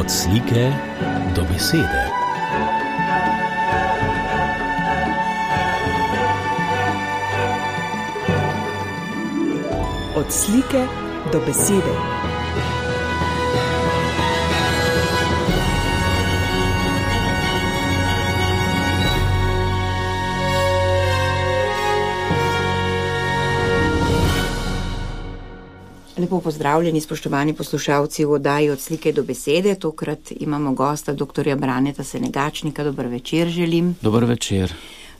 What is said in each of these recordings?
Od slike do besede. Od slike do besede. Lepo pozdravljeni, spoštovani poslušalci v oddaji Od slike do besede. Tokrat imamo gosta dr. Braneta Senegačnika. Dober večer želim. Dober večer.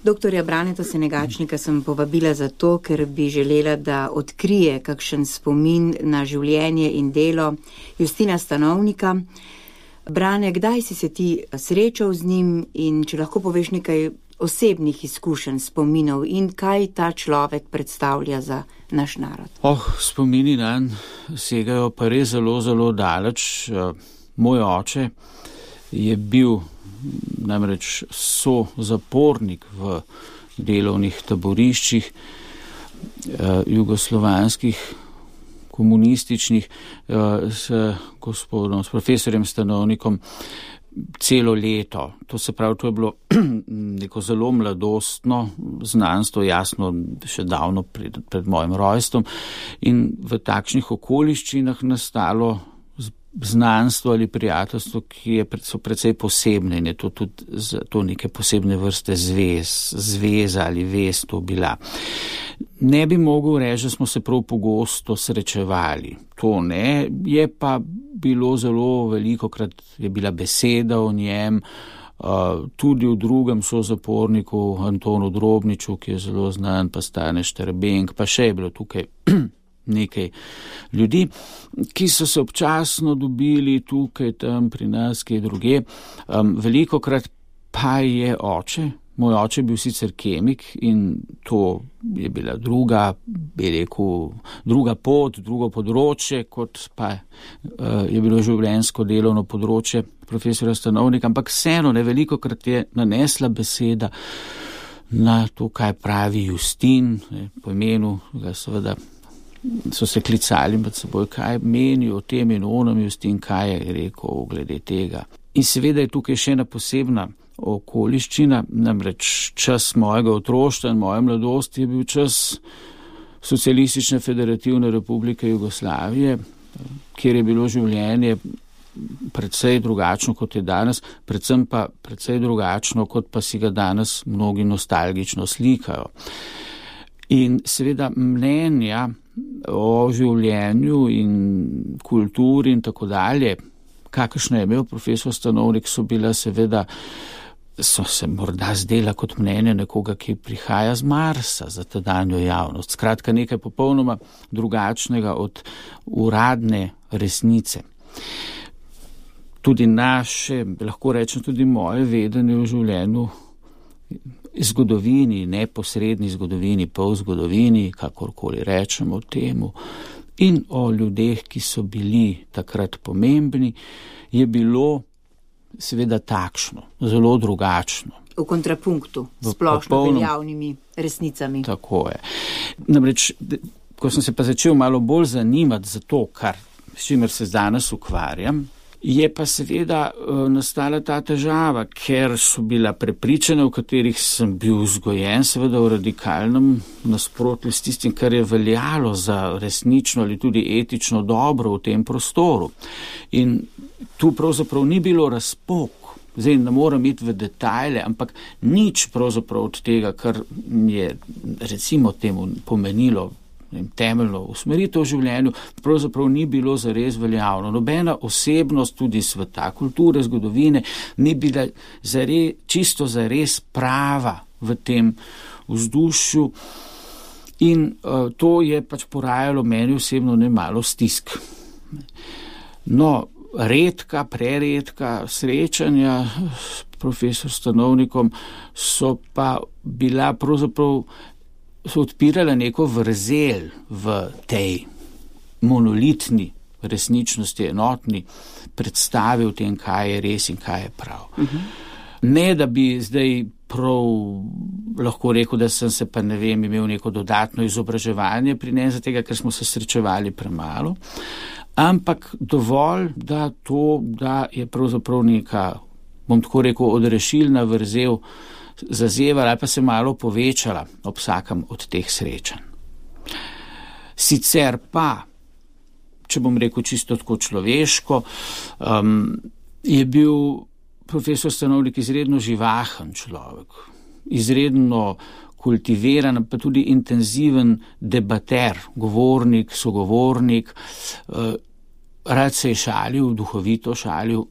Dr. Braneta Senegačnika sem povabila zato, ker bi želela, da odkrije kakšen spomin na življenje in delo Justina Stanovnika. Brane, kdaj si se ti srečal z njim in če lahko poveš nekaj osebnih izkušenj, spominov in kaj ta človek predstavlja za naš narod? Spomini nanj segajo pa res zelo, zelo daleč. Moj oče je bil namreč zapornik v delovnih taboriščih jugoslovanskih, komunističnih, s profesorjem Stanovnikom celo leto. To se pravi, to je bilo neko zelo mladostno znanstvo, jasno, še davno pred mojim rojstvom, in v takšnih okoliščinah nastalo znanstvo ali prijateljstvo, ki so precej posebne in je to tudi to neke posebne vrste zveza ali vez to bila. Ne bi mogel reči, da smo se prav pogosto srečevali. To ne, je pa bilo zelo velikokrat, je bila beseda o njem, tudi v drugem sozaporniku Antonu Drobniču, ki je zelo znan, pa Stane Šterbenk, pa še je bilo tukaj nekaj ljudi, ki so se občasno dobili tukaj, tam pri nas, kje druge. Velikokrat pa je oče, moj oče je bil sicer kemik in to je bila druga pot, drugo področje, kot pa je bilo življenjsko delovno področje profesora Stanovnika, ampak vseeno velikokrat je nanesla beseda na to, kaj pravi Justin, po imenu ga seveda so se klicali med seboj, kaj meni o tem in onem Justin, kaj je rekel glede tega. In seveda je tukaj še ena posebna okoliščina, namreč čas mojega otroštva in moje mladosti je bil čas Socialistične federativne republike Jugoslavije, kjer je bilo življenje precej drugačno, kot je danes, predvsem pa precej drugačno, kot pa si ga danes mnogi nostalgično slikajo. In seveda mnenja o življenju in kulturi in tako dalje, kakršno je imel profesor Stanovnik, so se morda zdela kot mnenje nekoga, ki prihaja z Marsa za tedanjo javnost. Skratka, nekaj popolnoma drugačnega od uradne resnice. Tudi naše, lahko rečem tudi moje vedenje o življenju, zgodovini, neposredni zgodovini, polzgodovini, kakorkoli rečemo temu, in o ljudeh, ki so bili takrat pomembni, je bilo seveda takšno, zelo drugačno. V kontrapunktu s splošno veljavnimi resnicami. Tako je. Namreč, ko sem se pa začel malo bolj zanimati za to, s čimer se danes ukvarjam, je pa seveda nastala ta težava, ker so bila prepričanja, v katerih sem bil vzgojen, seveda v radikalnem nasprotju s tistim, kar je veljalo za resnično ali tudi etično dobro v tem prostoru. In tu pravzaprav ni bilo razpok. Zdaj ne moram iti v detajle, ampak nič pravzaprav od tega, kar je recimo temu pomenilo temeljno usmeritev v življenju, pravzaprav ni bilo zares veljavno. Nobena osebnost tudi sveta, kulture, zgodovine ni bila čisto zares prava v tem vzdušju in to je pač porajalo meni osebno nemalo stisk. No, preredka srečanja s profesor Stanovnikom so pa bila pravzaprav so odpirala neko vrzel v tej monolitni resničnosti, enotni predstavi o tem, kaj je res in kaj je prav. Ne, da bi zdaj prav lahko rekel, da sem se pa imel neko dodatno izobraževanje pri njem, zato ker smo se srečevali premalo, ampak dovolj, da je pravzaprav neka, bom tako rekel, odrešilna vrzel zazevala ali pa se malo povečala ob vsakem od teh srečanj. Sicer pa, če bom rekel čisto tako človeško, je bil profesor Stanovnik izredno živahen človek, izredno kultiviran, pa tudi intenziven debater, govornik, sogovornik, rad se je šalil, duhovito šalil.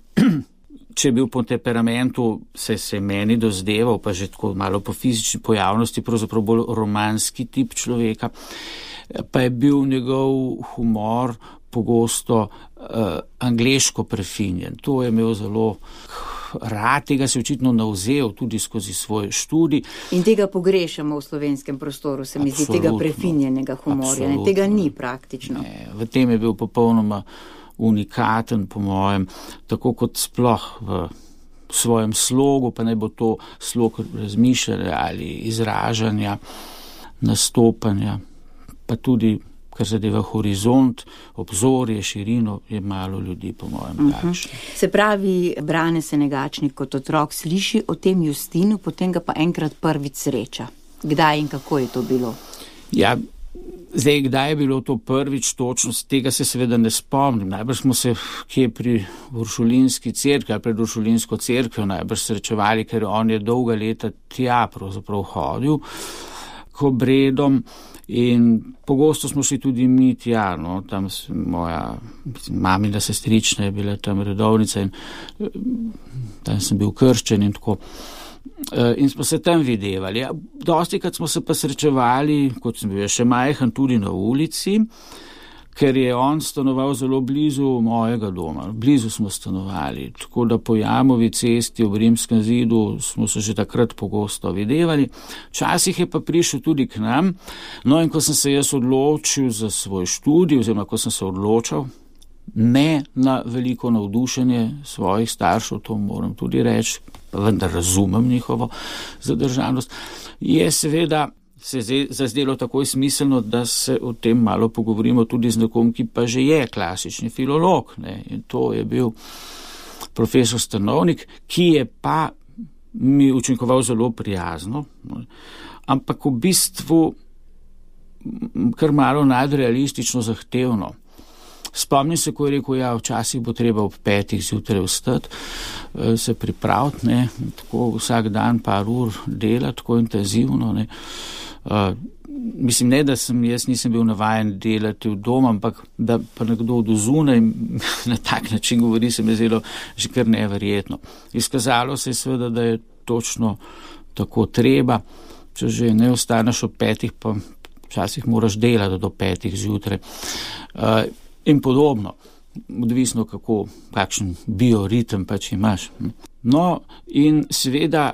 Če je bil po temperamentu, se je meni dozdeval, pa že tako malo po fizični pojavnosti, pravzaprav bolj romanski tip človeka, pa je bil njegov humor pogosto angleško prefinjen. To je imel zelo rad, tega se je očitno navzel tudi skozi svoj študij. In tega pogrešamo v slovenskem prostoru, se mi zdi, tega prefinjenega humorja. Ne, tega ni praktično. Ne, v tem je bil popolnoma unikaten, po mojem, tako kot sploh v svojem slogu, pa naj bo to slog razmišljanja ali izražanja, nastopanja, pa tudi, kar zadeva horizont, obzorje, širino, je malo ljudi, po mojem, takšno. Se pravi, Brane Senegačnik kot otrok sliši o tem Justinu, potem ga pa enkrat prvič sreča. Kdaj in kako je to bilo? Ja, zdaj, kdaj je bilo to prvič točno, tega se seveda ne spomnim. Najbrž smo se kje pri Uršulinski cerkvi ali pred Uršulinsko cerkvijo najbrž srečevali, ker on je dolga leta tja pravzaprav hodil k obredom in pogosto smo šli tudi mi tja, no, tam moja mamina sestrična je bila tam redovnica in tam sem bil krščen in tako. In smo se tam videvali. Dostikrat smo se pa srečevali, kot sem bil še majhen, tudi na ulici, ker je on stanoval zelo blizu mojega doma. Blizu smo stanovali, tako da po Jamovi cesti ob Rimskem zidu smo se že takrat pogosto videvali. Včasih je pa prišel tudi k nam. No in ko sem se jaz odločil za svoj študij, oziroma ko sem se odločal, ne na veliko navdušenje svojih staršev, to moram tudi reči, pa vendar razumem njihovo zadržanost, je seveda se zazdelo takoj smiselno, da se o tem malo pogovorimo tudi z nekom, ki pa že je klasični filolog. Ne? In to je bil profesor Stanovnik, ki je pa mi učinkoval zelo prijazno, ampak v bistvu kar malo nadrealistično zahtevno. Spomnim se, ko je rekel, ja, včasih bo treba ob 5 zjutraj vstati, se pripraviti, ne, tako vsak dan par ur delati, tako intenzivno, ne. Mislim, ne, da jaz nisem bil navajen delati v dom, ampak da pa nekdo od zunaj na tak način govori, se mi zdelo že kar neverjetno. Izkazalo se je seveda, da je točno tako treba, če že ne ostaneš ob 5, pa včasih moraš delati do 5 zjutraj. In podobno, odvisno kakšen bioritem pač imaš. No, in seveda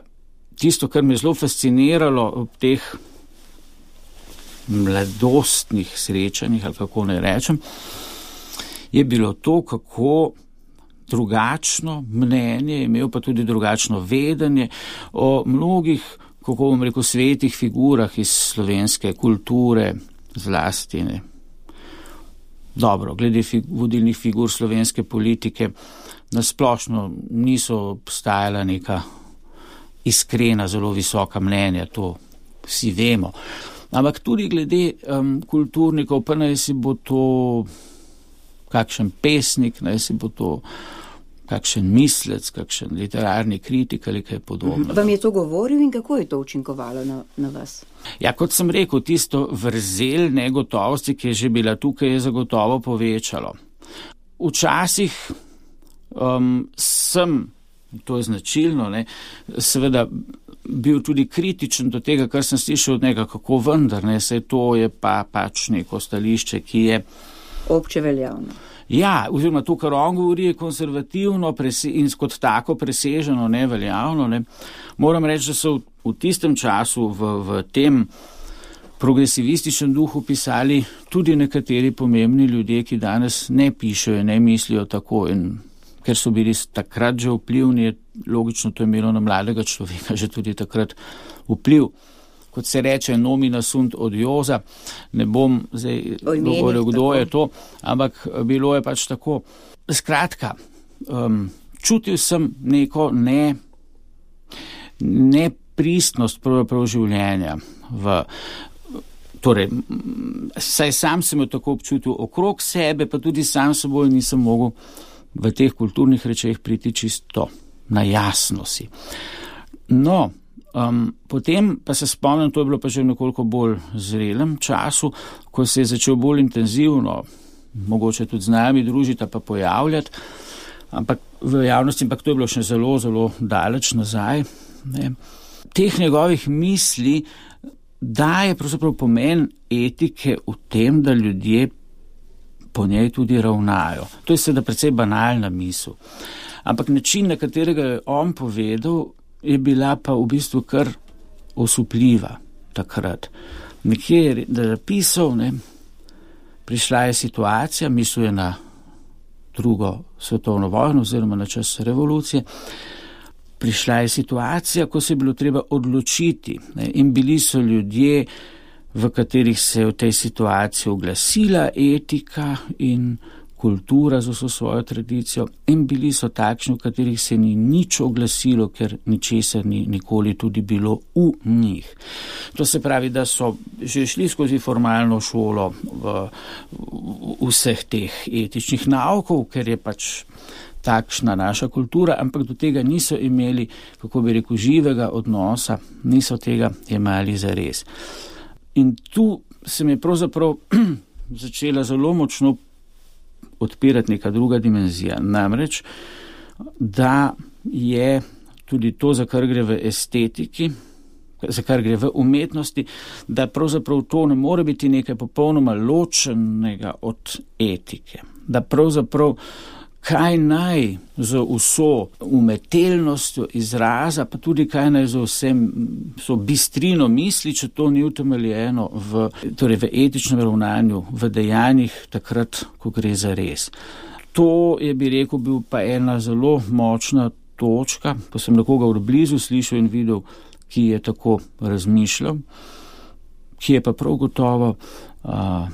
tisto, kar me je zelo fasciniralo ob teh mladostnih srečanjih, ali kako ne rečem, je bilo to, kako drugačno mnenje, imel pa tudi drugačno vedenje o mnogih, kako bom rekel, svetih figurah iz slovenske kulture, zlasti, ne. Dobro, glede vodilnih figur slovenske politike, nasplošno niso obstajala neka iskrena, zelo visoka mnenja, to vsi vemo. Ampak tudi glede kulturnikov, pa naj si bo to kakšen pesnik, naj si bo to kakšen mislec, kakšen literarni kritik ali kaj podobno. Vam je to govoril in kako je to učinkovalo na vas? Ja, kot sem rekel, tisto vrzel negotovosti, ki je že bila tukaj, je zagotovo povečalo. Včasih sem, to je značilno, ne, seveda bil tudi kritičen do tega, kar sem slišal od njega, kako vendar, ne, saj to je pač neko stališče, ki je obče veljavno. Ja, oziroma to, kar on govori, je konservativno in kot tako preseženo, neveljavno. Ne. Moram reči, da so v tistem času v tem progresivističnem duhu pisali tudi nekateri pomembni ljudje, ki danes ne pišejo, ne mislijo tako in ker so bili takrat že vplivni, logično to je imelo na mladega človeka že tudi takrat vpliv. Kot se reče, nomina sunt odiosa, ne bom zdaj govoril, kdo je to, ampak bilo je pač tako. Skratka, čutil sem neko nepristnost pravzaprav življenja. Torej, saj sam sem jo tako občutil okrog sebe, pa tudi sam seboj nisem mogel v teh kulturnih rečeh priti čisto na jasno si. No, potem pa se spomnim, to je bilo pa že v nekoliko bolj zrelem času, ko se je začel bolj intenzivno, mogoče tudi z nami družiti, pa pojavljati, ampak v javnosti, ampak to je bilo še zelo, zelo daleč nazaj. Ne. Teh njegovih misli daje pravzaprav pomen etike v tem, da ljudje po njej tudi ravnajo. To je seveda precej banalna misel. Ampak način, na katerega je on povedal, je bila pa v bistvu kar osupljiva takrat. Nekje je napisal, prišla je situacija, mislil je na drugo svetovno vojno oziroma na čas revolucije, prišla je situacija, ko se je bilo treba odločiti, in bili so ljudje, v katerih se je v tej situaciji oglasila etika in kultura z vso svojo tradicijo, in bili so takšni, v katerih se ni nič oglasilo, ker ničesar ni nikoli tudi bilo v njih. To se pravi, da so že šli skozi formalno šolo v vseh teh etičnih naukov, ker je pač takšna naša kultura, ampak do tega niso imeli, kako bi rekel, živega odnosa, niso tega jemali zares. In tu se mi je pravzaprav začela zelo močno odpirati neka druga dimenzija. Namreč, da je tudi to, za kar gre v estetiki, za kar gre v umetnosti, da pravzaprav to ne more biti nekaj popolnoma ločenega od etike. Da pravzaprav kaj naj z vso umetelnostjo izraza, pa tudi kaj naj z vso bistrino misli, če to ni utemeljeno v etičnem ravnanju, v dejanjih takrat, ko gre za res. To je, bi rekel, bil pa ena zelo močna točka, ko sem nekoga od blizu slišal in videl, ki je tako razmišljal, ki je pa prav gotovo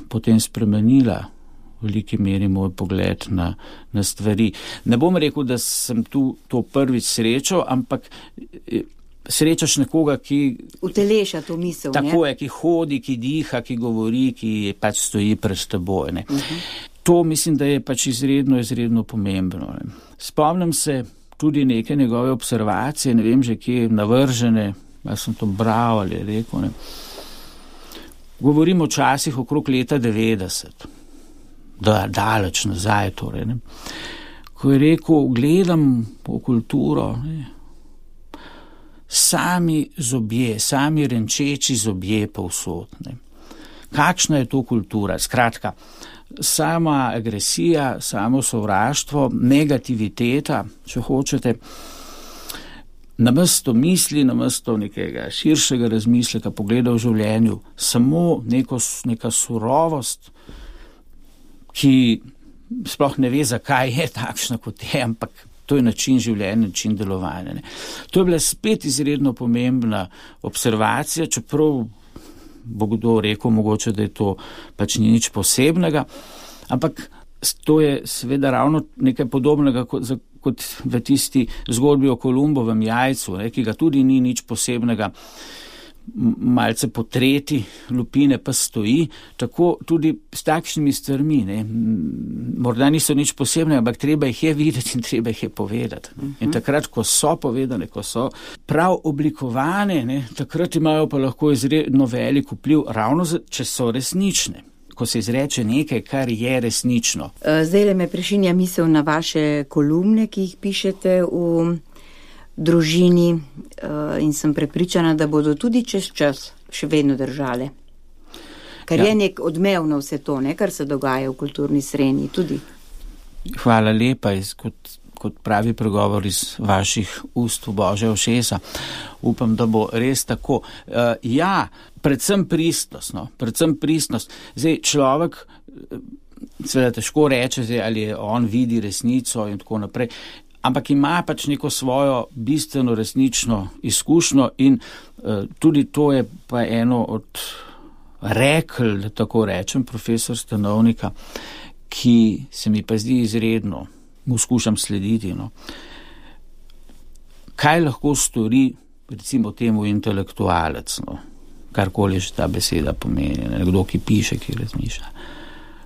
potem spremenila v veliki meri moj pogled na stvari. Ne bom rekel, da sem tu to prvič srečal, ampak srečaš nekoga, ki uteleša to misel. Tako je, ki hodi, ki diha, ki govori, ki pač stoji pred teboj. To mislim, da je pač izredno pomembno. Spomnim se tudi neke njegove observacije, ne vem že kje navržene, jaz sem to bral ali rekel. Govorimo včasih okrog leta 90. Daleč nazaj torej. Ko je rekel, gledam po kulturo, sami zobje, sami renčeči zobje povsod. Kakšna je to kultura? Skratka, sama agresija, samo sovraštvo, negativiteta, če hočete, namesto misli, namesto nekega širšega razmisleka, pogleda v življenju, samo neka surovost, ki sploh ne ve, zakaj je takšna, kot je, ampak to je način življenja, način delovanja. To je bila spet izredno pomembna observacija, čeprav bo kdo rekel, mogoče, da je to pač ni nič posebnega, ampak to je seveda ravno nekaj podobnega kot v tisti zgodbi o Kolumbovem jajcu, ki ga tudi ni nič posebnega, malce potreti, lupine pa stoji, tako tudi s takšnimi stvarmi, morda niso nič posebnega, ampak treba jih je videti in treba jih je povedati. In takrat, ko so povedane, ko so prav oblikovane, takrat imajo pa lahko izredno velik vpliv, ravno če so resnične, ko se izreče nekaj, kar je resnično. Zdaj me prešinja misel na vaše kolumne, ki jih pišete v družini, in sem prepričana, da bodo tudi čez čas še vedno držale. Ker je nek odmev na vse to, kar se dogaja v kulturni srenji tudi. Hvala lepa, kot pravi pregovor iz vaših ust v Božja ušesa. Upam, da bo res tako. Predvsem pristnost. Zdaj, človek seveda težko reče, ali on vidi resnico in tako naprej, ampak ima pač neko svojo bistveno resnično izkušnjo in tudi to je pa eno od rekel, da tako rečem, profesor Stanovnika, ki se mi pa zdi izredno, mu skušam slediti. No. Kaj lahko stori, recimo temu intelektualec, no, karkoli že ta beseda pomeni, nekdo, ki piše, ki razmišlja.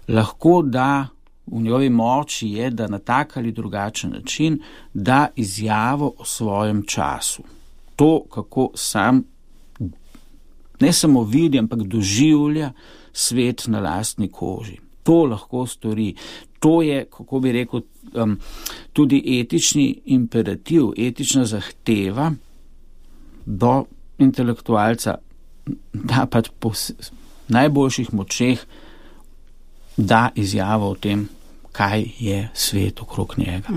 Lahko da v njegovi moči je, da na tak ali drugačen način da izjavo o svojem času. To, kako sam ne samo vidi, ampak doživlja svet na lastni koži. To lahko stori. To je, kako bi rekel, tudi etični imperativ, etična zahteva do intelektualca, da pač po najboljših močeh da izjavo o tem, kaj je svet okrog njega.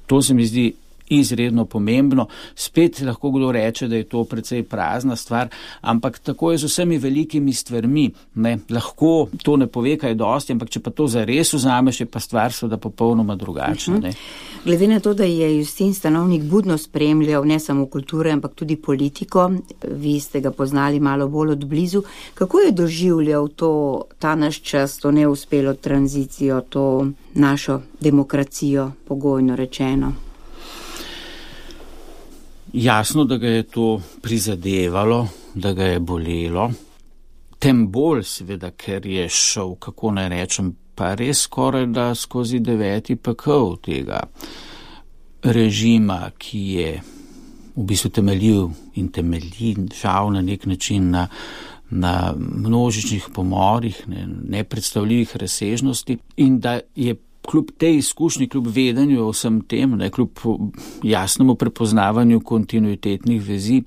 To se mi zdi izredno pomembno. Spet lahko kdo reče, da je to precej prazna stvar, ampak tako je z vsemi velikimi stvarmi. Ne? Lahko to ne pove kaj dosti, ampak če pa to zares vzameš, je pa stvar seveda popolnoma drugačna. Ne? Glede na to, da je Justin Stanovnik budno spremljal ne samo kulture, ampak tudi politiko, vi ste ga poznali malo bolj od blizu, kako je doživljal ta naš čas, to neuspelo tranzicijo, to našo demokracijo, pogojno rečeno? Jasno, da ga je to prizadevalo, da ga je bolelo, tem bolj seveda, ker je šel, kako naj rečem, pa res skoraj da skozi 9. pekel tega režima, ki je v bistvu temeljil in temelji žal na nek način na množičnih pomorih, nepredstavljivih razsežnosti in da je kljub tej izkušnji, kljub vedenju o vsem tem, kljub jasnemu prepoznavanju kontinuitetnih vezi,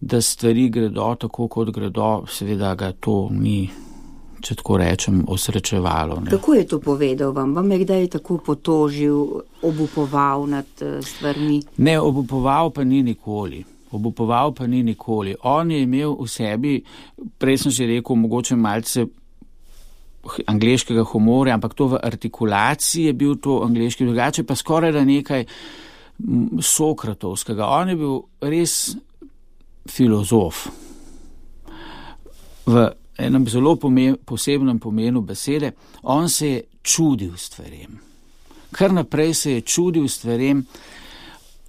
da stvari gredo tako, kot gredo, seveda ga to ni, če tako rečem, osrečevalo. Ne. Kako je to povedal vam? Vam je kdaj tako potožil, obupoval nad stvarmi? Ne, obupoval pa ni nikoli. On je imel v sebi, prej sem že rekel, mogoče malce angleškega humorja, ampak to v artikulaciji je bil to angleški, drugače pa skoraj da nekaj sokratovskega. On je bil res filozof. V enem zelo posebnem pomenu besede, on se je čudil stvarem. Kar naprej se je čudil stvarem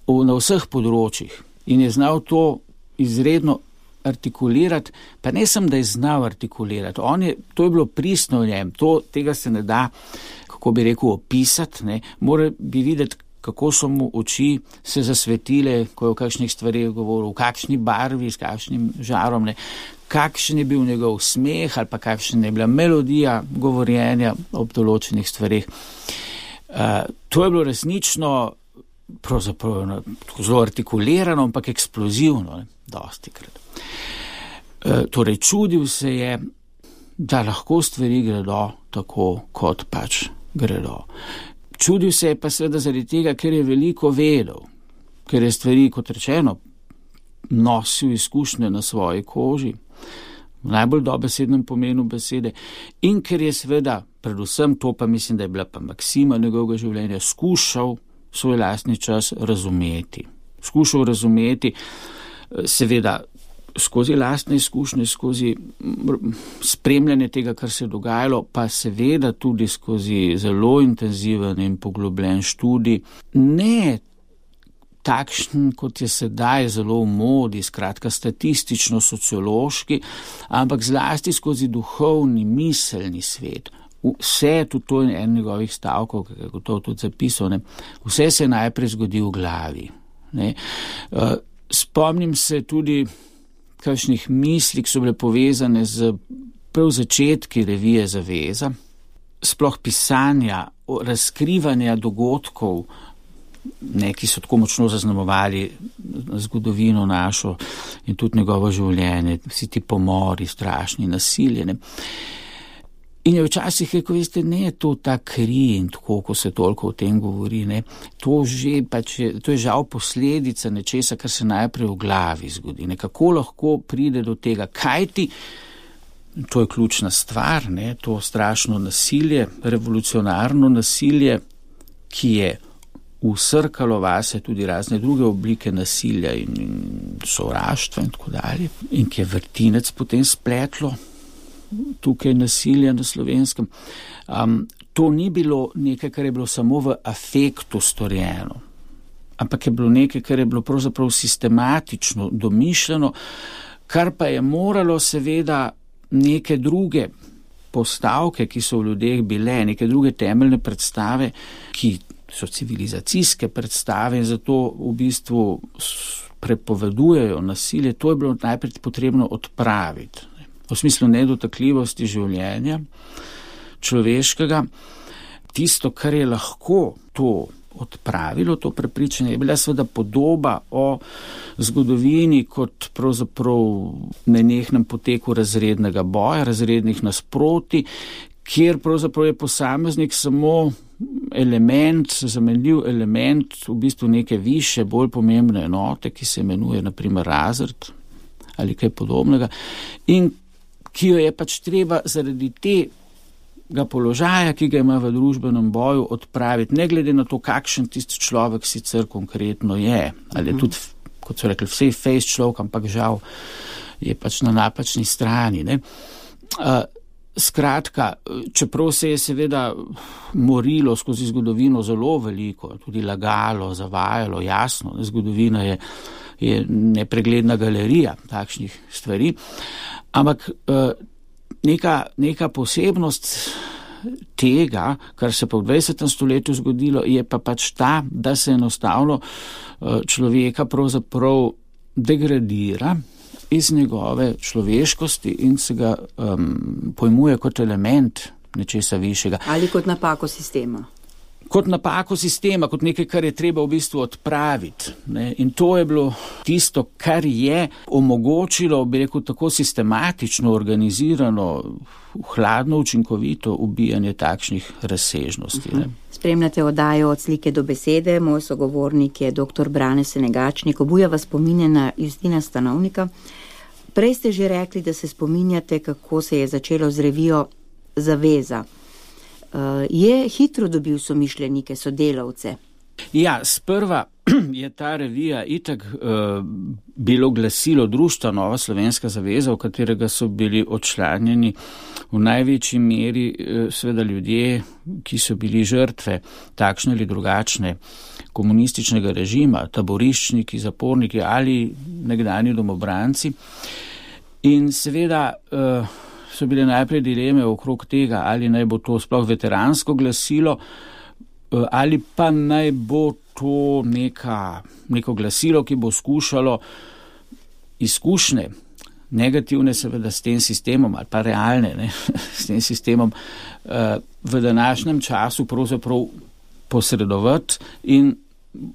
na vseh področjih in je znal to izredno artikulirati, pa ne sem, da je znal artikulirati. To je bilo pristno v njem, tega se ne da, kako bi rekel, opisati, ne. Mora bi videti, kako so mu oči se zasvetile, ko je o kakšnih stvarih govoril, v kakšni barvi, s kakšnim žarom, ne. Kakšen je bil njegov smeh ali pa kakšna je bila melodija govorjenja ob določenih stvarih. To je bilo resnično pravzaprav zelo artikulirano, ampak eksplozivno, dostikrat. Torej, čudil se je, da lahko stvari gredo tako, kot pač gredo. Čudil se je pa seveda zaradi tega, ker je veliko vedel, ker je stvari, kot rečeno, nosil izkušnje na svoji koži, v najbolj dobesednem pomenu besede, in ker je seveda, predvsem to pa mislim, da je bila pa maksima njegovega življenja, skušal svoj lastni čas razumeti. Skušal razumeti, seveda, skozi lastne izkušnje, skozi spremljanje tega, kar se je dogajalo, pa seveda tudi skozi zelo intenziven in poglobljen študij. Ne takšen, kot je sedaj zelo v modi, skratka statistično-sociološki, ampak zlasti skozi duhovni, miselni svet. Vse, tudi to je en njegovih stavkov, ki je gotovo tudi zapisal, vse se je najprej zgodi v glavi. Ne. Spomnim se tudi kakšnih misli, ki so bile povezane z prav začetki revije Zaveza, sploh pisanja, razkrivanja dogodkov, ki so tako močno zaznamovali zgodovino našo in tudi njegovo življenje, vsi ti pomori, strašni, nasilje. In je včasih rekel, veste, ne je to ta kri in tako, ko se toliko o tem govori, ne. To je žal posledica nečesa, kar se najprej v glavi zgodi. Kako lahko pride do tega? Kaj ti to je ključna stvar, ne, to strašno nasilje, revolucionarno nasilje, ki je vsrkalo vase tudi razne druge oblike nasilja in sovraštva in tako dalje, in ki je vrtinec potem spletlo tukaj nasilja na Slovenskem. To ni bilo nekaj, kar je bilo samo v afektu storjeno, ampak je bilo nekaj, kar je bilo pravzaprav sistematično domišljeno, kar pa je moralo seveda neke druge postavke, ki so v ljudeh bile, neke druge temeljne predstave, ki so civilizacijske predstave in zato v bistvu prepovedujejo nasilje, to je bilo najprej potrebno odpraviti. V smislu nedotakljivosti življenja človeškega, tisto, kar je lahko to odpravilo, to prepričanje, je bila seveda podoba o zgodovini kot pravzaprav nenehnem poteku razrednega boja, razrednih nasproti, kjer pravzaprav je posameznik samo element, zamenljiv element v bistvu neke više, bolj pomembne enote, ki se imenuje na primer razred ali kaj podobnega, in ki jo je pač treba zaradi tega položaja, ki ga ima v družbenem boju, odpraviti, ne glede na to, kakšen tisti človek sicer konkretno je, ali je tudi, kot so rekli, vsej fejs človek, ampak žal je pač na napačni strani, ne. Skratka, čeprav se je seveda morilo skozi zgodovino zelo veliko, tudi lagalo, zavajalo, jasno, zgodovina je nepregledna galerija takšnih stvari, ampak neka posebnost tega, kar se pa v 20. stoletju zgodilo, je pa pač ta, da se enostavno človeka pravzaprav degradira iz njegove človeškosti in se ga pojmuje kot element nečesa višjega. Ali kot napako sistema. Kot napako sistema, kot nekaj, kar je treba v bistvu odpraviti. Ne? In to je bilo tisto, kar je omogočilo, bi rekel, tako sistematično, organizirano, hladno, učinkovito ubijanje takšnih razsežnosti. Ne? Spremljate oddajo Od slike do besede, moj sogovornik je dr. Brane Senegačnik, obuja vas spominje na Justina Stanovnika. Prej ste že rekli, da se spominjate, kako se je začelo z revijo Zaveza. Je hitro dobil somišljenike, sodelavce? Ja, sprva je ta revija itak bilo glasilo društva Nova Slovenska zaveza, v katerega so bili odčlanjeni v največji meri seveda ljudje, ki so bili žrtve takšne ali drugačne komunističnega režima, taboriščniki, zaporniki ali nekdanji domobranci. In seveda so bile najprej dileme okrog tega, ali naj bo to sploh veteransko glasilo, ali pa naj bo to neko glasilo, ki bo skušalo izkušnje, negativne seveda s tem sistemom, ali pa realne, ne, s tem sistemom v današnjem času pravzaprav posredovati in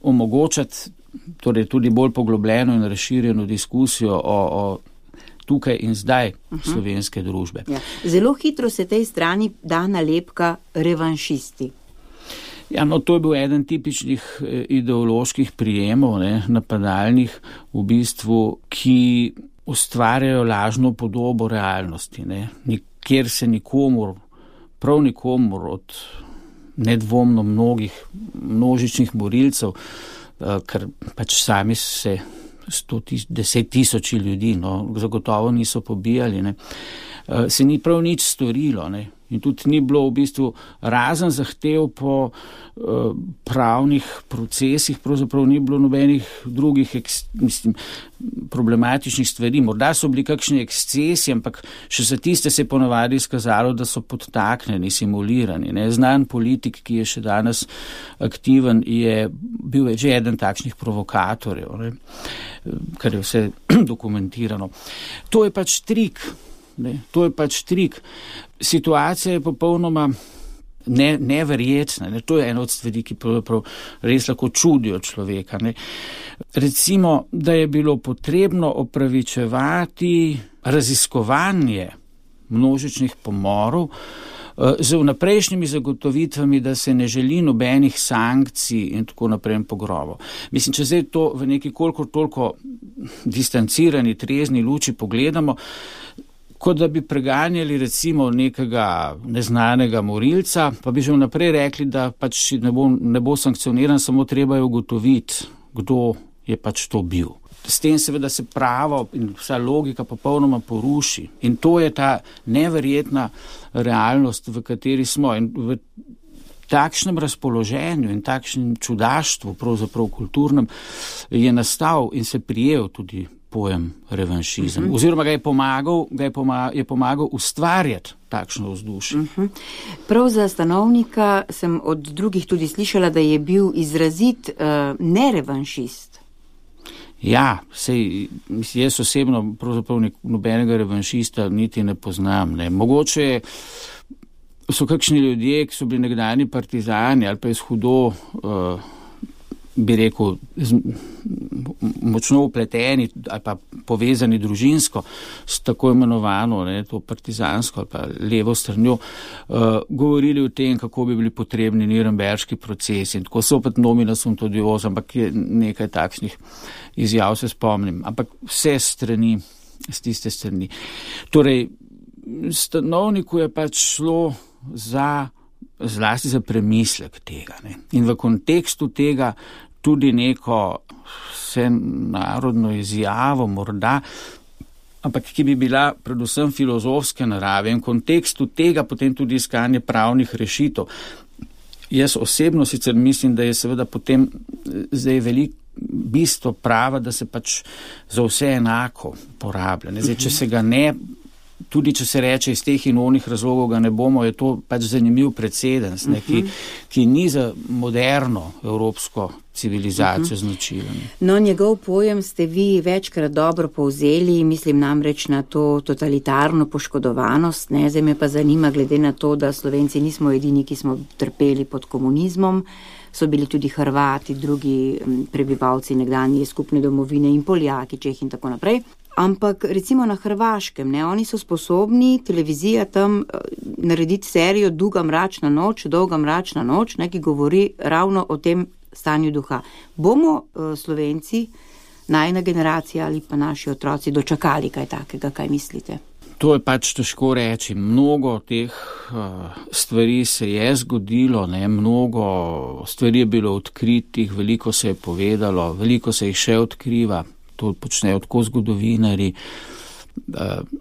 omogočati torej tudi bolj poglobljeno in razširjeno diskusijo o tukaj in zdaj slovenske družbe. Ja. Zelo hitro se tej strani da nalepka revanšisti. Ja, no, to je bil eden tipičnih ideoloških prijemov, ne, napadalnih, v bistvu, ki ustvarjajo lažno podobo realnosti, ne, kjer se prav nikomur od nedvomno množičnih borilcev, ker pač sami se 10 tisoči ljudi, no, zagotovo niso pobijali, ne, se ni prav nič storilo, ne. In tudi ni bilo v bistvu razen zahtev po pravnih procesih, pravzaprav ni bilo nobenih drugih problematičnih stvari. Morda so bili kakšni ekscesi, ampak še za tiste se je ponavadi izkazalo, da so podtaknjeni, simulirani. Ne. Znan politik, ki je še danes aktiven, je bil že eden takšnih provokatorjev, ne, kar je vse dokumentirano. To je pač trik. To je pač trik. Situacija je popolnoma neverjetna. Ne. To je ena od stvari, ki res lahko čudijo človeka. Ne. Recimo, da je bilo potrebno opravičevati raziskovanje množičnih pomorov z vnaprejšnjimi zagotovitvami, da se ne želi nobenih sankcij in tako naprej pogrobov. Mislim, če zdaj to v neki kolikor toliko distancirani, trezni luči pogledamo, kot da bi preganjali recimo nekega neznanega morilca, pa bi že vnaprej rekli, da pač ne bo sankcioniran, samo treba je ugotoviti, kdo je pač to bil. S tem seveda se pravo in vsa logika popolnoma poruši. In to je ta neverjetna realnost, v kateri smo. In v takšnem razpoloženju in takšnem čudaštvu, pravzaprav kulturnem, je nastal in se prijel tudi pojem revanšizem. Oziroma ga je pomagal ustvarjati takšno vzdušje. Prav za Stanovnika sem od drugih tudi slišala, da je bil izrazit nerevanšist. Ja, jaz osebno pravzaprav nobenega revanšista niti ne poznam. Ne. Mogoče so kakšni ljudje, ki so bili nekdani partizani ali pa iz hudo bi rekel, močno upleteni ali pa povezani družinsko s tako imenovano, to partizansko ali pa levo stranjo, govorili o tem, kako bi bili potrebni Nürnberški procesi. In tako so opet nomina sum tudi ampak je nekaj takšnih izjav, se spomnim. Ampak vse strani, z tiste strani. Torej, Stanovniku je pač šlo zlasti za premislek tega. Ne? In v kontekstu tega tudi neko vsenarodno izjavo morda, ampak ki bi bila predvsem filozofske narave in v kontekstu tega potem tudi iskanje pravnih rešitev. Jaz osebno sicer mislim, da je seveda potem zdaj veliko bistvo prava, da se pač za vse enako porablja. Zdaj, če se ga ne, tudi če se reče iz teh in onih razlogov ga ne bomo, je to pač zanimiv precedens, ki ni za moderno evropsko civilizacijo značilen. No, njegov pojem ste vi večkrat dobro povzeli, mislim namreč na to totalitarno poškodovanost. Zdaj me pa zanima, glede na to, da Slovenci nismo edini, ki smo trpeli pod komunizmom, so bili tudi Hrvati, drugi prebivalci nekdanje skupne domovine in Poljaki, Čehi in tako naprej. Ampak recimo na Hrvaškem, oni so sposobni, televizija tam, narediti serijo Dolga mračna noč, ki govori ravno o tem stanju duha. Bomo Slovenci, najina generacija ali pa naši otroci dočakali kaj takega, kaj mislite? To je pač težko reči. Mnogo teh stvari se je zgodilo, mnogo stvari je bilo odkritih, veliko se je povedalo, veliko se jih še odkriva. To počnejo tako zgodovinari,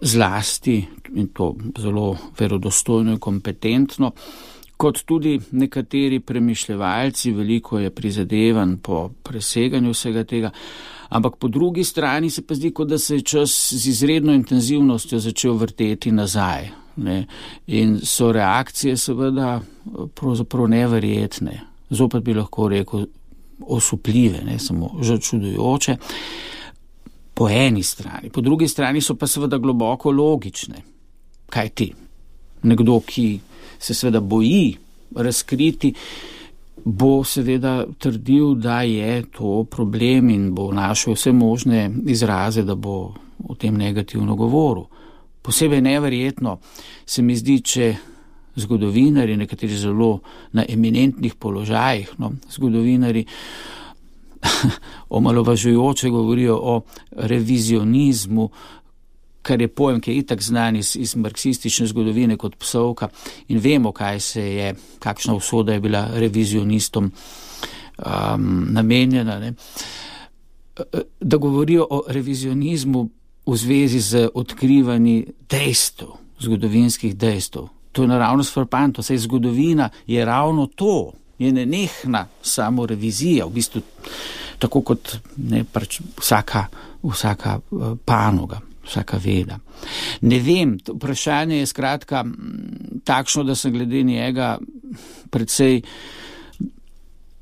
zlasti, in to zelo verodostojno in kompetentno, kot tudi nekateri premišljevalci, veliko je prizadevanj po preseganju vsega tega, ampak po drugi strani se pa zdi, kot da se je čas z izredno intenzivnostjo začel vrteti nazaj. In so reakcije seveda pravzaprav neverjetne, zopet bi lahko rekel osupljive, samo že čudujoče. Po eni strani. Po drugi strani so pa seveda globoko logične. Kaj ti? Nekdo, ki se seveda boji razkriti, bo seveda trdil, da je to problem in bo našel vse možne izraze, da bo o tem negativno govoril. Posebej neverjetno se mi zdi, če zgodovinari, nekateri zelo na eminentnih položajih, zgodovinari omalovažujoče govorijo o revizionizmu, kar je pojem, ki je itak znan iz marksistične zgodovine kot psovka, in vemo, kakšna usoda je bila revizionistom namenjena. Da govorijo o revizionizmu v zvezi z odkrivanji dejstev, zgodovinskih dejstev. To je naravnost frapantno, saj zgodovina je ravno to. Je nenehna samo revizija, v bistvu tako kot vsaka panoga, vsaka veda. Ne vem, vprašanje je skratka takšno, da sem glede njega precej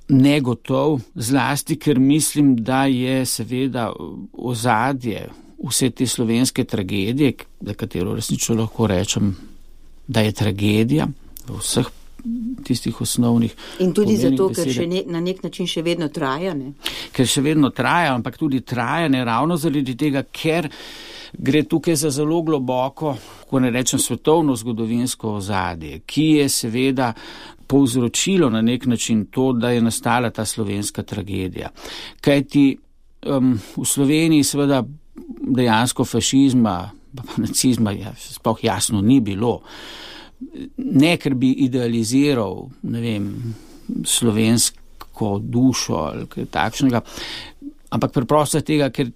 negotov, zlasti, ker mislim, da je seveda ozadje vse te slovenske tragedije, za katero resnično lahko rečem, da je tragedija v vseh tistih osnovnih. In tudi zato, ker na nek način še vedno traja, ne? Ker še vedno traja, ampak tudi traja ne ravno zaradi tega, ker gre tukaj za zelo globoko, ko ne rečem svetovno zgodovinsko ozadje, ki je seveda povzročilo na nek način to, da je nastala ta slovenska tragedija. Kajti v Sloveniji seveda dejansko fašizma nacizma sploh jasno ni bilo. Ne, ker bi idealiziral, ne vem, slovensko dušo ali kaj takšnega, ampak preprosto tega, ker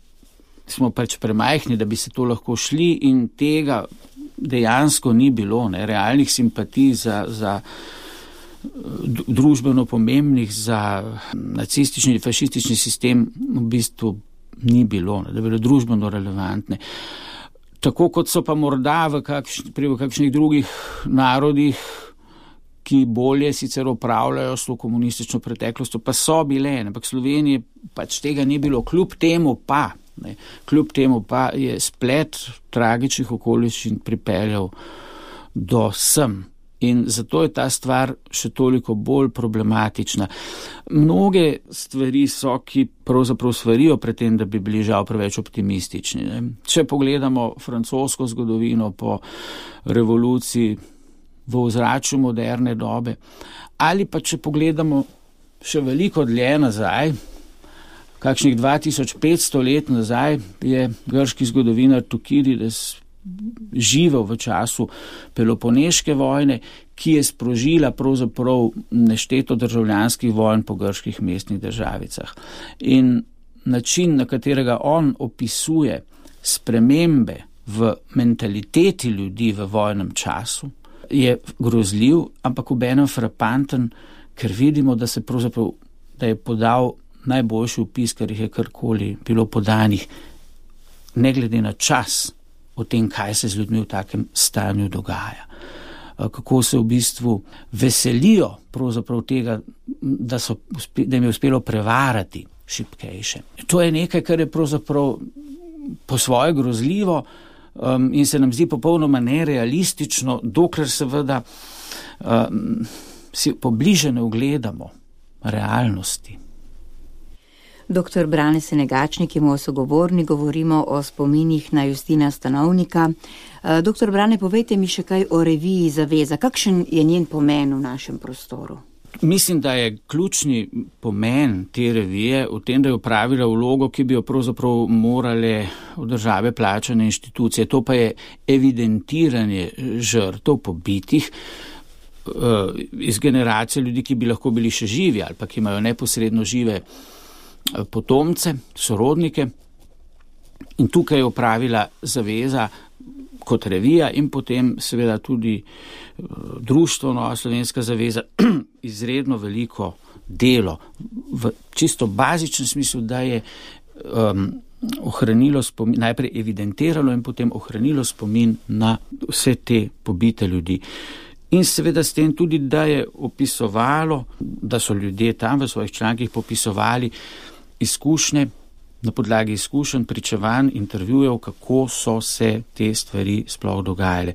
smo pač premajhni, da bi se to lahko šli in tega dejansko ni bilo, ne, realnih simpatij za družbeno pomembnih, za nacistični in fašistični sistem v bistvu ni bilo, ne, da bi bilo družbeno relevantne. Tako kot so pa morda v kakšnih drugih narodih, ki bolje sicer upravljajo s to komunistično preteklostjo, pa so bile, ampak v Sloveniji pač tega ni bilo. Kljub temu pa je splet tragičnih okoliščin pripeljal do sem. In zato je ta stvar še toliko bolj problematična. Mnoge stvari so, ki pravzaprav svarijo pred tem, da bi bili žal preveč optimistični. Ne? Če pogledamo francosko zgodovino po revoluciji v ozračju moderne dobe, ali pa če pogledamo še veliko dlje nazaj, kakšnih 2500 let nazaj, je grški zgodovinar Tukirides živel v času Peloponeške vojne, ki je sprožila pravzaprav nešteto državljanskih vojn po grških mestnih državicah. In način, na katerega on opisuje spremembe v mentaliteti ljudi v vojnem času, je grozljiv, ampak obenem frapanten, ker vidimo, da je podal najboljši opis, kar jih je karkoli bilo podanih, ne glede na čas, o tem, kaj se z ljudmi v takem stanju dogaja. Kako se v bistvu veselijo pravzaprav tega, da jim je uspelo prevarati šibkejše. To je nekaj, kar je pravzaprav po svoje grozljivo in se nam zdi popolnoma nerealistično, dokler seveda si pobliže ne ugledamo realnosti. Dr. Brane Senegačnik je moj sogovornik, govorimo o spominih na Justina Stanovnika. Dr. Brane, povejte mi še kaj o reviji Zaveza. Kakšen je njen pomen v našem prostoru? Mislim, da je ključni pomen te revije v tem, da je opravila vlogo, ki bi jo pravzaprav morale od države plačane inštitucije. To pa je evidentiranje žrtev pobitih iz generacije ljudi, ki bi lahko bili še živi ali pa ki imajo neposredno žive potomce, sorodnike. In tukaj je opravila Zaveza kot revija in potem seveda tudi društvo Nova Slovenska zaveza izredno veliko delo v čisto bazičnem smislu, da je ohranilo spomin, najprej evidentiralo in potem ohranilo spomin na vse te pobite ljudi. In seveda s tem tudi, da je opisovalo, da so ljudje tam v svojih člankih popisovali izkušnje, na podlagi izkušenj, pričevanj, intervjujev, kako so se te stvari sploh dogajale.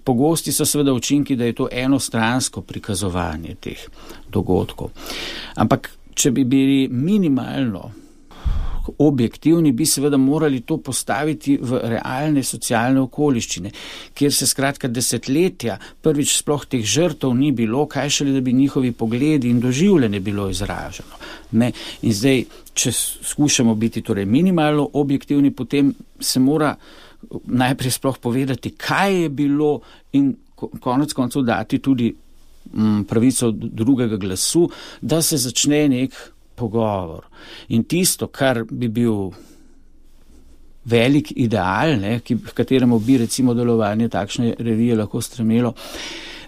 Pogosti so seveda učinki, da je to enostransko prikazovanje teh dogodkov. Ampak, če bi bili minimalno objektivni, bi seveda morali to postaviti v realne socialne okoliščine, kjer se skratka desetletja prvič sploh teh žrtev ni bilo, kaj šele, da bi njihovi pogledi in doživljanje bilo izraženo. Ne? In zdaj, če skušamo biti torej minimalno objektivni, potem se mora najprej sploh povedati, kaj je bilo in konec koncev dati tudi pravico drugega glasu, da se začne nek pogovor. In tisto, kar bi bil velik ideal, v kateremu bi recimo delovanje takšne revije lahko stremelo,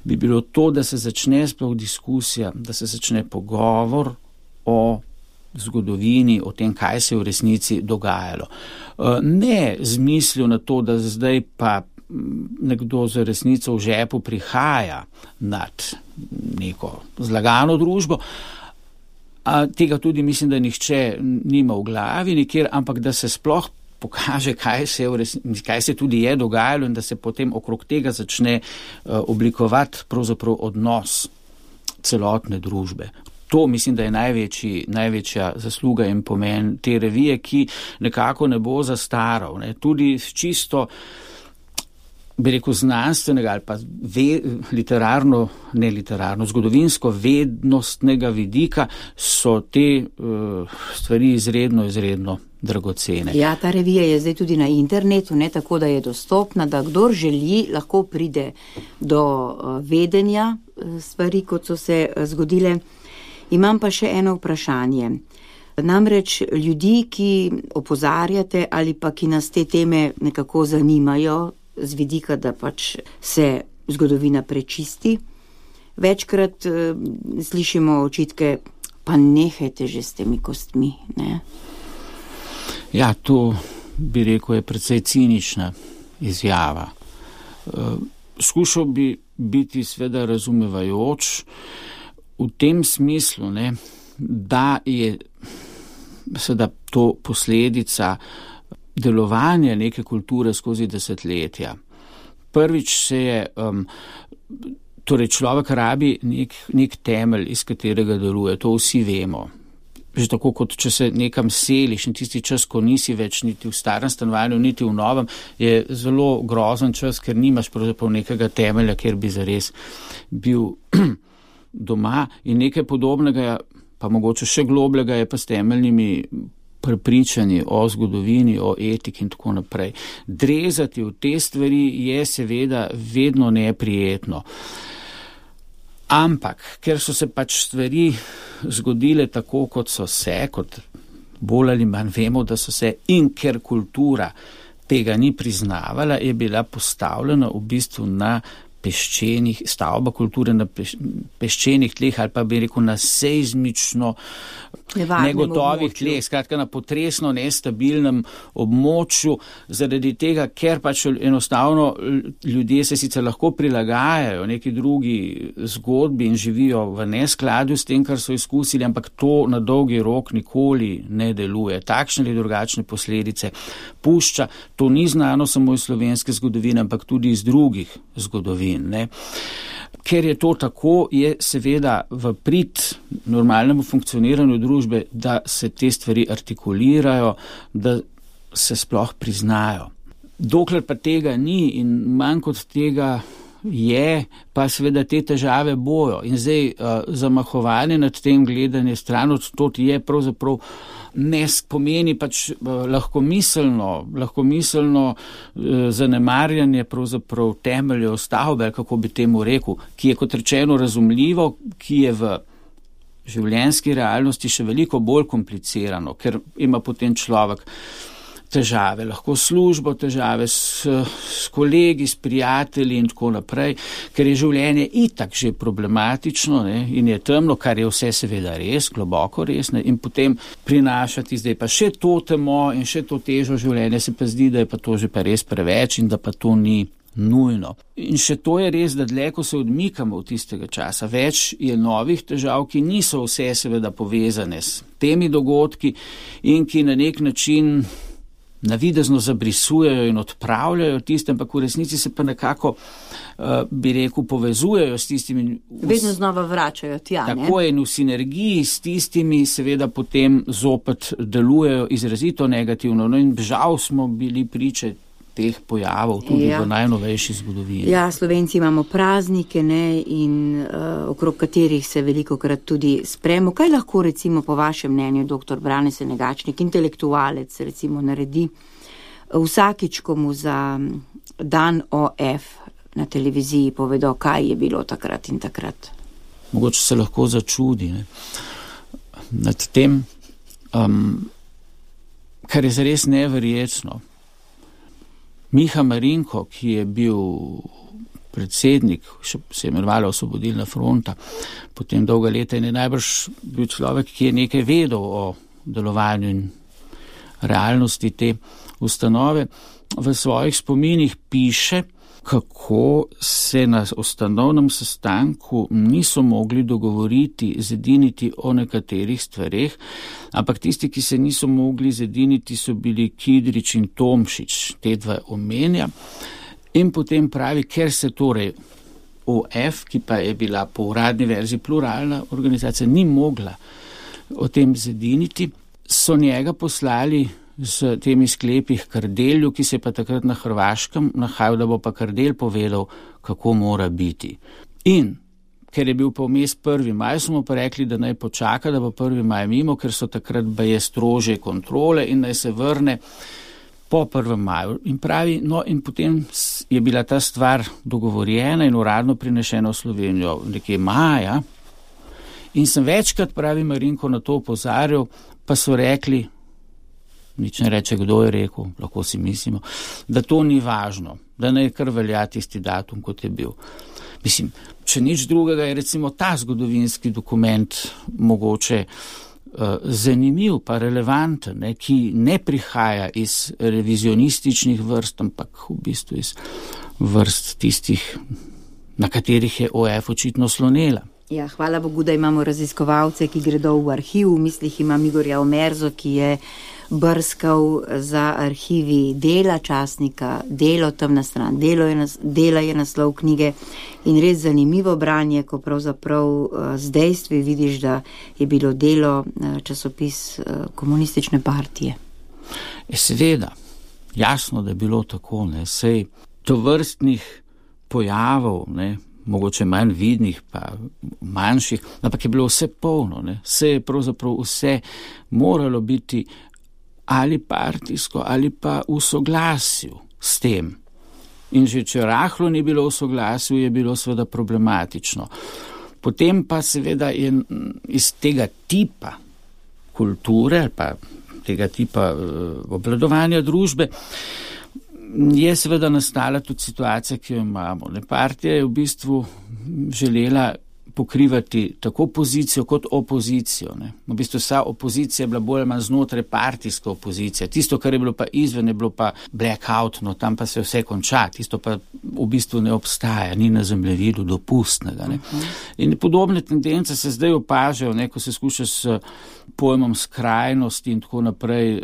bi bilo to, da se začne sploh diskusija, da se začne pogovor o zgodovini, o tem, kaj se je v resnici dogajalo. Ne z mislijo na to, da zdaj pa nekdo z resnico v žepu prihaja nad neko zlagano družbo, tega tudi mislim, da nihče nima v glavi nikjer, ampak da se sploh pokaže, kaj se tudi je dogajalo in da se potem okrog tega začne oblikovati pravzaprav odnos celotne družbe. To mislim, da je največja zasluga in pomen te revije, ki nekako ne bo zastaral. Ne. Tudi čisto, bi rekel, znanstvenega ali pa zgodovinsko vednostnega vidika so te stvari izredno dragocene. Ja, ta revija je zdaj tudi na internetu, ne tako, da je dostopna, da kdor želi, lahko pride do vedenja stvari, kot so se zgodile. Imam pa še eno vprašanje. Namreč ljudi, ki opozarjate ali pa ki nas te teme nekako zanimajo z vidika, da pač se zgodovina prečisti, večkrat slišimo očitke, pa nehajte že s temi kostmi, ne? Ja, to bi rekel je precej cinična izjava. Skušal bi biti seveda razumevajoč v tem smislu, ne, da je seveda to posledica delovanja neke kulture skozi desetletja. Prvič se je, torej človek rabi nek temelj, iz katerega deluje, to vsi vemo. Že tako, kot če se nekam seliš in tisti čas, ko nisi več niti v starem stanovanju, niti v novem, je zelo grozen čas, ker nimaš pravzaprav nekega temelja, kjer bi zares bil doma in nekaj podobnega, pa mogoče še globljega je pa s temeljnimi prepričanji o zgodovini, o etiki in tako naprej. Drezati v te stvari je seveda vedno neprijetno. Ampak, ker so se pač stvari zgodile tako, kot so se, kot bolj ali manj vemo, da so se, in ker kultura tega ni priznavala, je bila postavljena v bistvu na stavba kulture na peščenih tleh ali pa bi rekel na seizmično negotovih tleh, skratka na potresno nestabilnem območju, zaradi tega, ker pač enostavno ljudje se sicer lahko prilagajajo neki drugi zgodbi in živijo v neskladju s tem, kar so izkusili, ampak to na dolgi rok nikoli ne deluje. Takšne ali drugačne posledice pušča. To ni znano samo iz slovenske zgodovine, ampak tudi iz drugih zgodovin. Ne. Ker je to tako, je seveda v prid normalnemu funkcioniranju družbe, da se te stvari artikulirajo, da se sploh priznajo. Dokler pa tega ni in manj kot tega je, pa seveda te težave bojo. In zdaj zamahovanje nad tem, gledanje stran od tod je pravzaprav ne pomeni pač lahkomiselno zanemarjanje pravzaprav temeljev stavbe, kako bi temu rekel, ki je kot rečeno razumljivo, ki je v življenjski realnosti še veliko bolj komplicirano, ker ima potem človek težave, lahko službo, težave s kolegi, s prijatelji in tako naprej, ker je življenje itak že problematično, ne, in je temno, kar je vse seveda res, globoko res, ne, in potem prinašati zdaj pa še to temo in še to težo življenja, se pa zdi, da je pa to že pa res preveč in da pa to ni nujno. In še to je res, da dlje, ko se odmikamo od tistega časa, več je novih težav, ki niso vse seveda povezane s temi dogodki in ki na nek način navidezno zabrisujejo in odpravljajo tiste, ampak v resnici se pa nekako, bi rekel, povezujejo s tistimi. Vedno znova vračajo tja, ne? Tako je in v sinergiji s tistimi seveda potem zopet delujejo izrazito negativno. No in žal smo bili priče teh pojavov tudi v najnovejši zgodovini. Ja, Slovenci imamo praznike, ne, in okrog katerih se velikokrat tudi spremo. Kaj lahko recimo po vašem mnenju, dr. Brane Senegačnik, intelektualec recimo naredi vsakič, ko mu za dan OF na televiziji povedo, kaj je bilo takrat in takrat? Mogoče se lahko začudi, ne, nad tem, kar je zares neverjetno. Miha Marinko, ki je bil predsednik, še se je imenovala Osvobodilna fronta, potem dolga leta in je najbrž bil človek, ki je nekaj vedel o delovanju in realnosti te ustanove, v svojih spominih piše, kako se na ustanovnem sestanku niso mogli dogovoriti, zediniti o nekaterih stvareh, ampak tisti, ki se niso mogli zediniti, so bili Kidrič in Tomšič, te dva omenja. In potem pravi, ker se torej OF, ki pa je bila po uradni verziji pluralna organizacija, ni mogla o tem zediniti, so njega poslali z temi sklepi Kardelju, ki se je pa takrat na Hrvaškem nahajal, da bo pa Kardelj povedal, kako mora biti. In ker je bil pa vmes 1. maj, smo pa rekli, da naj počaka, da bo 1. maj mimo, ker so takrat baje strožje kontrole in naj se vrne po 1. maju. In pravi, no in potem je bila ta stvar dogovorjena in uradno prinešena v Slovenijo nekje maja. In sem večkrat, pravi Marinko, na to opozarjal, pa so rekli, nič ne reče, kdo je rekel, lahko si mislimo, da to ni važno, da naj kar velja tisti datum, kot je bil. Mislim, če nič drugega je recimo ta zgodovinski dokument mogoče zanimiv pa relevanten, ne, ki ne prihaja iz revizionističnih vrst, ampak v bistvu iz vrst tistih, na katerih je OF očitno slonela. Ja, hvala Bogu, da imamo raziskovalce, ki gredo v arhiv. V mislih imam Igorja Omerzo, ki je brskal za arhivi Dela, časnika Delo, temna stran Dela je naslov knjige in res zanimivo branje, ko pravzaprav z dejstvi vidiš, da je bilo Delo časopis komunistične partije. Seveda, jasno, da je bilo tako, ne, sej tovrstnih pojavov, ne, mogoče manj vidnih, pa manjših, ampak je bilo vse polno, ne, vse je pravzaprav vse moralo biti ali partijsko, ali pa v soglasju s tem. In že če rahlo ni bilo v soglasju, je bilo seveda problematično. Potem pa seveda je iz tega tipa kulture, ali pa tega tipa obvladovanja družbe, je seveda nastala tudi situacija, ki jo imamo. Partija je v bistvu želela pokrivati tako pozicijo kot opozicijo. Ne. V bistvu vsa opozicija je bila bolj ali manj znotraj partijska opozicija. Tisto, kar je bilo pa izven, je bilo pa blackout, no tam pa se vse konča. Tisto pa v bistvu ne obstaja, ni na zemljevidu dopustnega. Ne. In podobne tendence se zdaj opažajo, ne, ko se skuša s pojmom skrajnosti in tako naprej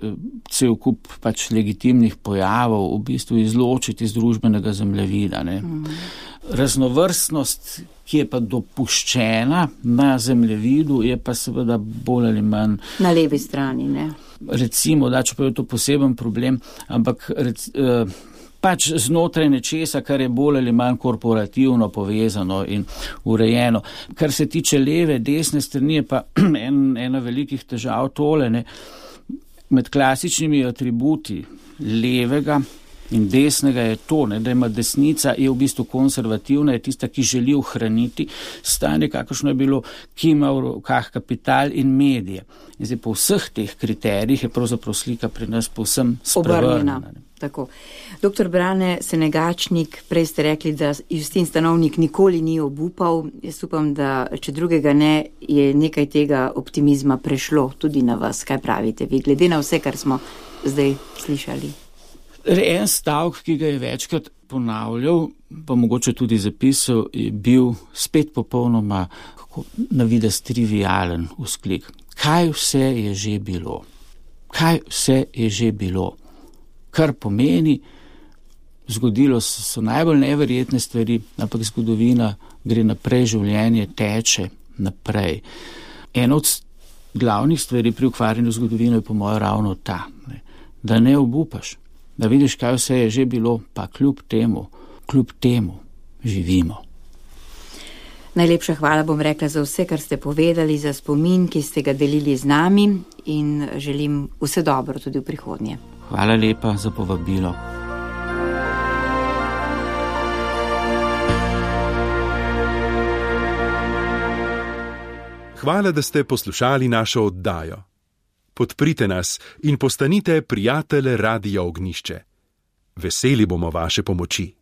cel kup pač legitimnih pojavov v bistvu izločiti iz družbenega zemljevida. Ne. Raznovrstnost, ki je pa dopuščena na zemljevidu, je pa seveda bolj ali manj na levi strani, ne? Recimo, da čeprav je to poseben problem, ampak pač znotraj nečesa, kar je bolj ali manj korporativno povezano in urejeno. Kar se tiče leve, desne strani, je pa ena velikih težav tole, ne? Med klasičnimi atributi levega in desnega je to, ne, da ima desnica, je v bistvu konservativna, je tista, ki želi ohraniti stanje, kakršno je bilo, ki ima v rokah kapital in medije. In zdaj po vseh teh kriterijih je pravzaprav slika pri nas povsem sprevrnjena. Tako. Doktor Brane Senegačnik, prej ste rekli, da Justin Stanovnik nikoli ni obupal. Jaz upam, da če drugega ne, je nekaj tega optimizma prešlo tudi na vas. Kaj pravite vi, glede na vse, kar smo zdaj slišali? En stavek, ki ga je večkrat ponavljal, pa mogoče tudi zapisal, je bil spet popolnoma na videz trivialen vzklik. Kaj vse je že bilo? Kaj vse je že bilo? Kar pomeni, zgodilo so najbolj neverjetne stvari, ampak zgodovina gre naprej, življenje teče naprej. Ena od glavnih stvari pri ukvarjanju zgodovino je po mojem ravno ta, ne, da ne obupaš. Da vidiš, kaj vse je že bilo, pa kljub temu živimo. Najlepša hvala, bom rekla, za vse, kar ste povedali, za spomin, ki ste ga delili z nami in želim vse dobro tudi v prihodnje. Hvala lepa za povabilo. Hvala, da ste poslušali našo oddajo. Podprite nas in postanite prijatelj Radia Ognjišče. Veseli bomo vaše pomoči.